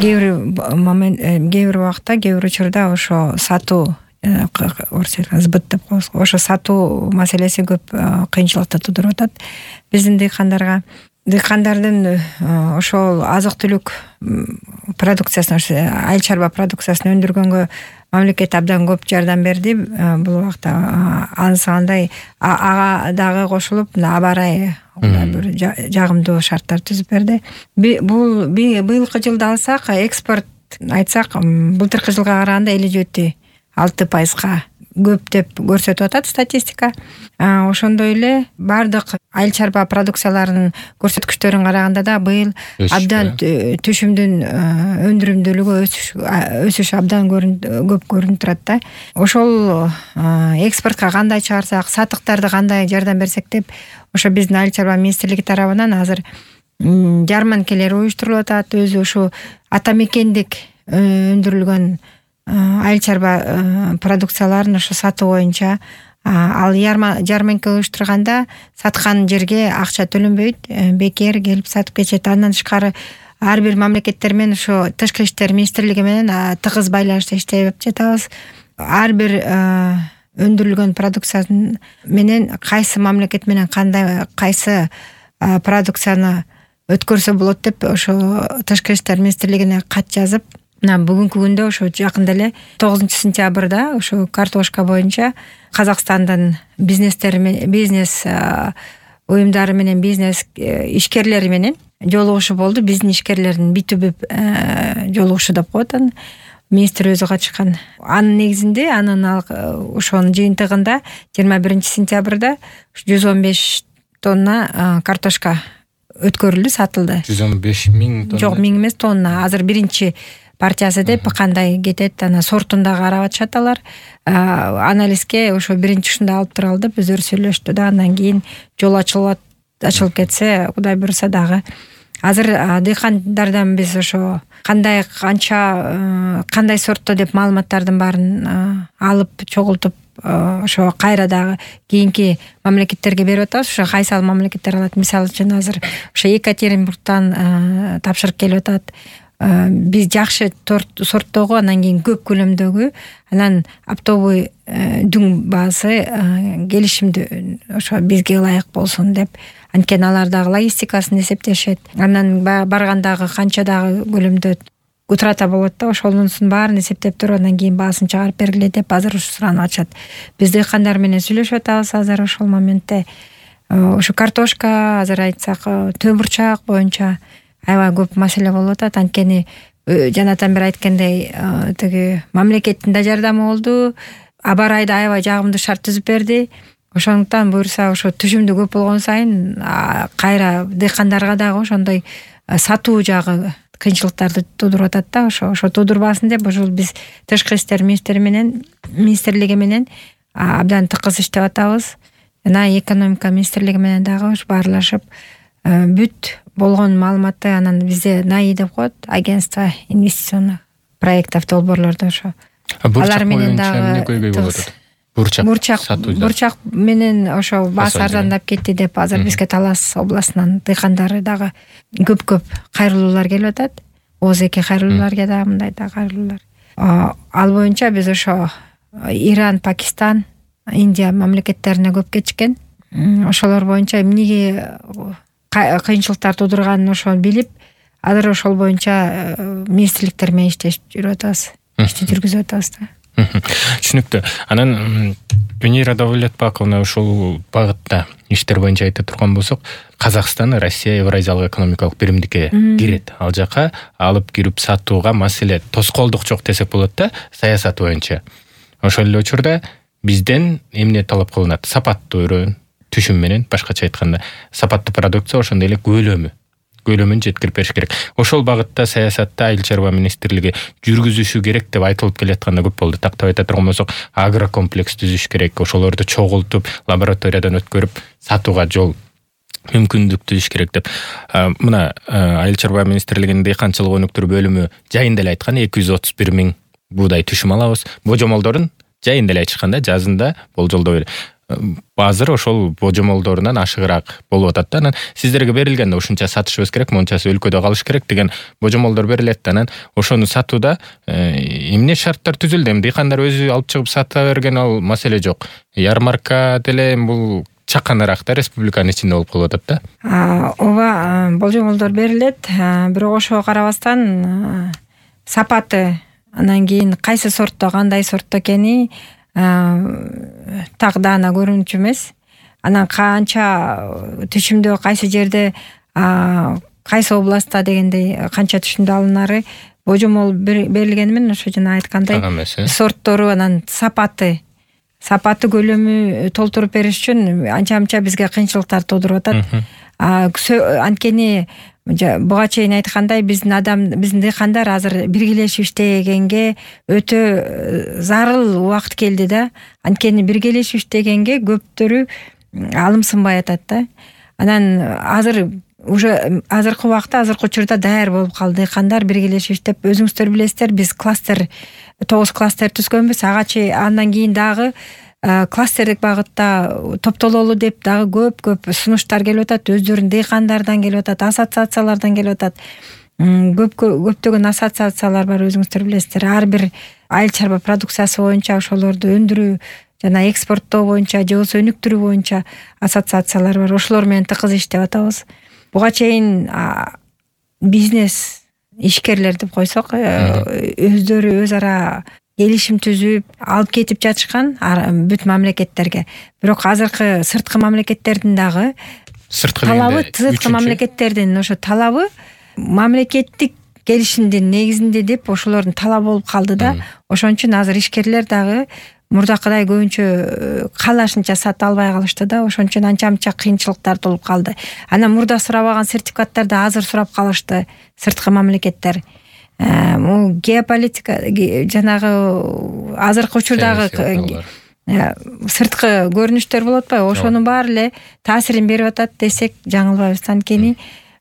кээ бир убакта, кээ бир учурда ошо сатуу сбыт деп коебуз. Ошо сатуу маселеси көп кыйынчылыкты тудуруп атат биздин дыйкандарга. Дыйкандардын ошол азык-түлүк продукциясын, айыл чарба продукциясын өндүргөнгө мамлекет абдан көп жардам берди. Бул убакта ансыгандай ага дагы кошулуп, аба ырайы бир жагымдуу шарттар түзүп берди. Бул быйылкы жылды алсак, экспорт айтсак, былтыркы жылга караганда 57,6% көп деп көрсөтүп атат статистика. Ошондой эле бардык айыл чарба продукцияларынын көрсөткүчтөрүн караганда да быйыл абдан түшүмдүн өндүрүмдүүлүгү өсүш абдан көп көрүнүп турат да. Ошол экспортко кандай чыгарсак, сатыктарды кандай жардам берсек деп, ошо биздин айыл чарба министрлиги тарабынан азыр жарманкелер уюштурулуп атат. Өзү ушу ата мекендик өндүрүлгөн айыл чарба продукцияларын ошо сатуу боюнча, ал жарманка уюштурганда саткан жерге акча төлөнбөйт, бекер келип сатып кетет. Андан тышкары ар бир мамлекеттер менен ошо тышкы иштер министрлиги менен тыгыз байланышта иштеп жатабыз. Ар бир өндүрүлгөн продукциянын менен кайсы мамлекет менен кайсы продукцияны өткөрсө болот деп ошо тышкы иштер министрлигине кат жазып, бүгүнкү күндө ошо жакында эле 9-сентябрда ошо картошка боюнча Казакстандын бизнес уюмдары менен, бизнес ишкерлери менен жолугушуу болду. Биздин ишкерлердин битүбүп жолугушуу деп коет аны. Министр өзү катышкан. Анын негизинде ошонун жыйынтыгында 21-сентябрда 115 тонна картошка өткөрүлдү, сатылды. 115 миң тонна? Жок, миң эмес, тонна. Азыр биринчи партиясы деп кандай кетет, ана сортун да карап атышат алар. Анализге ошо биринчи ушунда алып туралы деп өздөрү сүйлөштү да. Андан кийин жол ачылып кетсе, Кудай буйруса дагы. Азыр дыйкандардан биз ошо кандай сортто деп маалыматтардын баарын алып чогултуп, ошо кайра дагы кийинки мамлекеттерге берип атабыз. Ошо кайсыл мамлекеттер алат? Мисалы үчүн азыр ошо Екатеринбургтан тапшырык келип атат. Биз жакшы сорттогу, анан кийин көп көлөмдөгү, анан оптовый дүң баасы келишимдүү ошо бизге ылайык болсун деп. Анткени алар дагы логистикасын эсептешет. Анан баргандагы канча дагы көлөмдө утрата болот да, ошонусун баарын эсептеп туруп, андан кийин баасын чыгарып бергиле деп азыр ушу суранып атышат. Биз дыйкандар менен сүйлөшүп атабыз азыр ошол моментте. Ошо картошка, азыр айтсак, төө бурчак боюнча аябай көп маселе болуп атат. Анткени жанатан бери айткандай, тиги мамлекеттин да жардамы болду. Аба ырайда аябай жагымдуу шарт түзүп берди. Ошондуктан буюрса ошо түшүмдүү көп болгон сайын кайра дыйкандарга дагы ошондой сатуу жагы кыйынчылыктарды тудуруп атат да. Ошо тудурбасын деп ошол биз тышкы иштер министрлиги менен абдан тыкыз иштеп атабыз. Жана экономика министрлиги менен дагы баарлашып, бүт болгон маалыматты анан бизде НАИ деп коет, агентство инвестиционных проектов, долбоорлорду ошо алар менен дагы бурчак менен ошо баасы арзандап кетти деп азыр бизге Талас областынан дыйкандары дагы көп кайрылуулар келип атат. ОЗК кайрылууларга да, мындай да кайрылуулар. Ал боюнча биз ошо Иран, Пакистан, Индия мамлекеттерине көп кетишкен. Ошолор боюнча эмнеге кыйынчылыктар тудурганын ошону билип, азыр ошол боюнча министрликтер менен иштешип жүрүп атабыз. Ишти жүргүзүп атабыз да. Түшүнүктүү. Анан Венера Давлетбаковна ушул багытта иштер боюнча айта турган болсок, Казакстан Россия Евразиялык экономикалык биримдикке кирет. Ал жака алып кирип сатууга маселе тоскоолдук жок десек болот да, саясат боюнча. Ошол эле учурда бизден эмне талап кылынат? Сапаттуу өрөөн, түшүм менен, башкача айтканда, сапаттуу продукция, ошондой эле көлөмүн жеткирип бериш керек. Ошол багытта саясатта айыл чарба министрлиги жүргүзүшү керек деп айтылып келатканда көп болду. Тактап айта турган болсок, агрокомплекс түзүш керек, ошолорду чогултуп, лабораториядан өткөрүп, сатууга жол мүмкүндүк түзүш керек деп. Мына айыл чарба министрлигинин дыйканчылык өнүктүрүү бөлүмү жайында эле айткан 231 миң буудай түшүм алабыз. Божомолдорун жайында эле айтышканда, жазында болжолдоо азыр ошол божомолдорунан ашыгыраак болуп атат да. Анан сиздерге берилгенде ушунча сатышыбыз керек, мончасы өлкөдө калыш керек деген божомолдор берилет да. Анан ошону сатууда эмне шарттар түзүлдү? Эми дыйкандар өзү алып чыгып сата берген ал маселе жок. Ярмарка деле бул чаканыраак да, республиканын ичинде болуп калып атат да. Ооба, божомолдор берилет, бирок ошого карабастан сапаты, анан кийин кайсы сортто, кандай сортто экени так даана көрүнчү эмес. Анан канча түшүмдө, кайсы жерде, кайсы областта дегендей канча түшүмдө алынары божомол берилгени менен ошо жана айткандай сорттору, анан сапаты көлөмү толтуруп бериш үчүн анча бизге кыйынчылыктар туудуруп атат. Анткени буга чейин айткандай биздин дыйкандар азыр биргелешип иштегенге өтө зарыл убакыт келди да. Анткени биргелешип иштегенге көптөрү алымсынбай атат да. Анан азыркы убакта, азыркы учурда даяр болуп калды дыйкандар биргелешип иштеп. Өзүңүздөр билесиздер, биз 9 кластер түзгөнбүз. Андан кийин дагы кластердик багытта топтололу деп дагы көп сунуштар келип атат. Өздөрүнүн дыйкандардан келип атат, ассоциациялардан келип атат. Көптөгөн ассоциациялар бар, өзүңүздөр билесиздер. Ар бир айыл чарба продукциясы боюнча ошолорду өндүрүү жана экспорттоо боюнча же болбосо өнүктүрүү боюнча ассоциациялар бар. Ошолор менен тыкыз иштеп атабыз. Буга чейин бизнес ишкерлер деп койсок, өздөрү өз ара келишим түзүп алып кетип жатышкан бүт мамлекеттерге. Бирок азыркы сырткы мамлекеттердин дагы талабы, сырткы мамлекеттердин ошо талабы мамлекеттик келишимдин негизинде деп ошолордун талабы болуп калды да. Ошон үчүн азыр ишкерлер дагы мурдакыдай көбүнчө каалашынча сата албай калышты да. Ошон үчүн анча кыйынчылыктар болуп калды. Анан мурда сурабаган сертификаттарды азыр сурап калышты сырткы мамлекеттер. Геополитика жанагы азыркы учурдагы сырткы көрүнүштөр болот атпайбы? Ошонун баары эле таасирин берип атат десек жаңылбайбыз. Анткени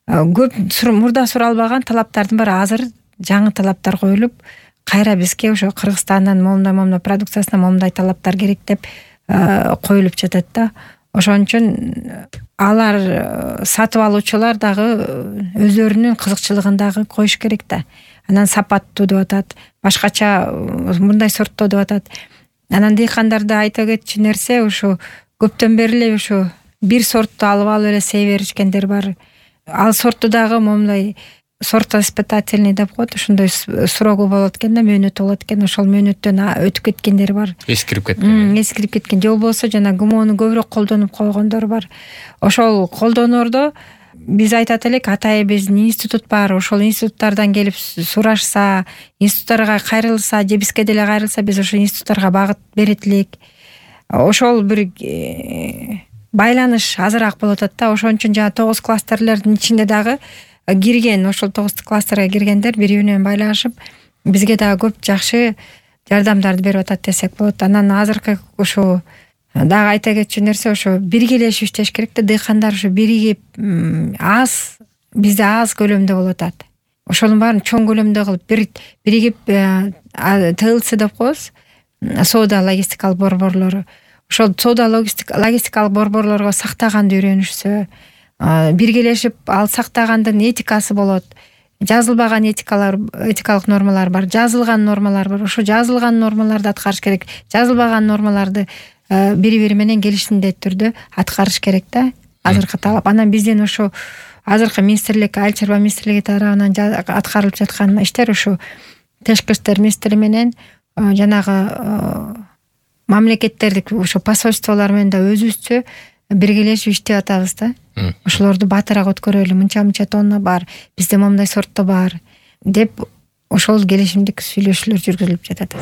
көп мурда суралбаган талаптардын баары азыр жаңы талаптар коюлуп, кайра бизге ошо Кыргызстандан момундай продукциясына момундай талаптар керек деп коюлуп жатат да. Ошон үчүн алар сатып алуучулар дагы өздөрүнүн кызыкчылыгын дагы коюш керек да. Анан сапаттуу деп атат, башкача мындай сортто деп атат. Анан дыйкандарды айта кетчү нерсе, ошо көптөн бери эле ошо бир сортту алып эле сей беришкендер бар. Ал сортту дагы момундай сорт испытательный деп коет, ошондой срогу болот экен да, мөөнөтү болот экен. Ошол мөөнөттөн өтүп кеткендер бар. Эскирип кеткен. Же болбосо жана ГМОну көбүрөөк колдонуп койгондор бар. Ошол колдоноордо биз айтат элек, атайын биздин институт бар. Ошол институттардан келип сурашса, институттарга кайрылса, же бизге деле кайрылса, биз ошол институттарга багыт берет элек. Ошол бир байланыш азыраак болот атат да. Ошон үчүн жана 9 кластерлердин ичинде дагы кирген, ошол 9 кластерге киргендер бири-бири менен байлашып, бизге дагы көп жакшы жардамдарды берип атат десек болот. Анан азыркы ошо дагы айта кетчү нерсе, ошо биргелешип иштеш керек да. Дыйкандар ошо биригип бизде аз көлөмдө болуп атат. Ошонун баарын чоң көлөмдө кылып биригип ТЛЦ деп коебуз, соода логистикалык борборлору. Ошол соода логистикалык борборлорго сактаганды үйрөнүшсө, биргелешип ал сактагандын этикасы болот. Жазылбаган этикалык нормалар бар, жазылган нормалар бар. Ошо жазылган нормаларды аткарыш керек. Жазылбаган нормаларды бири-бири менен келишимдүү түрдө аткарыш керек да. Азыркы талап. Анан биздин ошо азыркы министрлик, айыл чарба министрлиги тарабынан аткарылып жаткан иштер ошо тышкы иштер министри менен жанагы мамлекеттердик ошо посольстволор менен да өзүбүзчө биргелешип иштеп атабыз да. Ошолорду батыраак өткөрөлү, мынча тонна бар, бизде момундай сортто бар деп ошол келишимдик сүйлөшүүлөр жүргүзүлүп жатат.